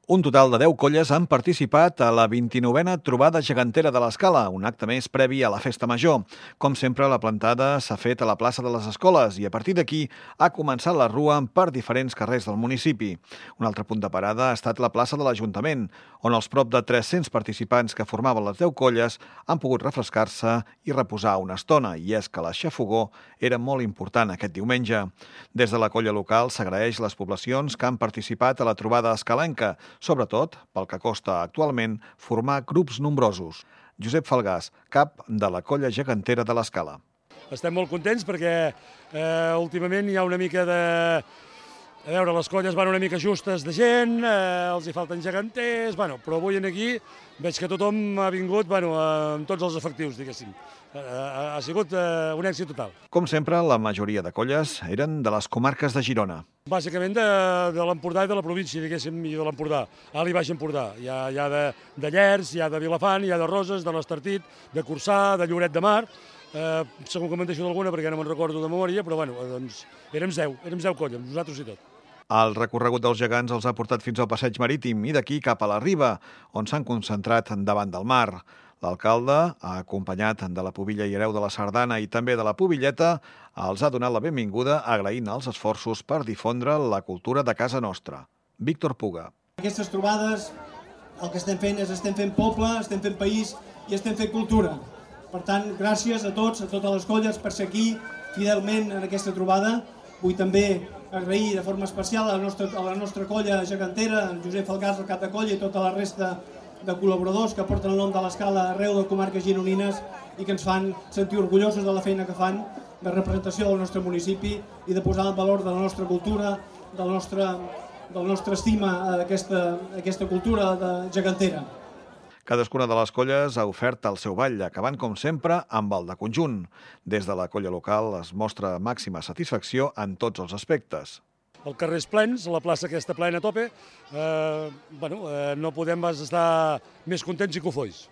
Un total de 10 colles han participat a la 29a Trobada Gegantera de l'Escala, un acte més previ a la Festa Major. Com sempre, la plantada s'ha fet a la plaça de les Escoles i a partir d'aquí ha començat la rua per diferents carrers del municipi. Un altre punt de parada ha estat la plaça de l'Ajuntament, on els prop de 300 participants que formaven les 10 colles han pogut refrescar-se i reposar una estona, i és que l'aixafogó era molt important aquest diumenge. Des de la colla local s'agraeix les poblacions que han participat a la trobada escalenca, sobretot pel que costa actualment formar grups nombrosos. Josep Falgàs, cap de la colla gegantera de l'Escala. Estem molt contents perquè últimament hi ha una mica de... A veure, les colles van una mica justes de gent, els hi falten geganters, però avui aquí veig que tothom ha vingut amb tots els efectius, diguéssim. Ha sigut un èxit total. Com sempre, la majoria de colles eren de les comarques de Girona. Bàsicament de l'Empordà i de la província, diguéssim, i de l'Empordà, Alt i Baix Empordà. Hi ha de Llers, hi ha de Vilafant, hi ha de Roses, de l'Estartit, de Corçà, de Lloret de Mar. Segur que me'n deixo d'alguna perquè no me'n recordo de memòria, però doncs érem 10 colles, nosaltres i tot. El recorregut dels gegants els ha portat fins al passeig marítim i d'aquí cap a la riba, on s'han concentrat davant del mar. L'alcalde, acompanyat de la pubilla i hereu de la Sardana i també de la pubilleta, els ha donat la benvinguda agraint els esforços per difondre la cultura de casa nostra. Víctor Puga. Aquestes trobades el que estem fent és estem fent poble, estem fent país i estem fent cultura. Per tant, gràcies a tots, a totes les colles per ser aquí fidelment en aquesta trobada. Vull també agrair de forma especial a la nostra colla gegantera, en Josep Falgàs, el cap de colla, i tota la resta de col·laboradors que porten el nom de l'Escala arreu de comarques gironines i que ens fan sentir orgullosos de la feina que fan de representació del nostre municipi i de posar en valor de la nostra cultura, del nostre estima a aquesta cultura gegantera. Cadascuna de les colles ha ofert el seu ball, acabant, com sempre, amb el de conjunt. Des de la colla local es mostra màxima satisfacció en tots els aspectes. El carrer és plens, la plaça aquesta plena a tope, no podem estar més contents i cofois.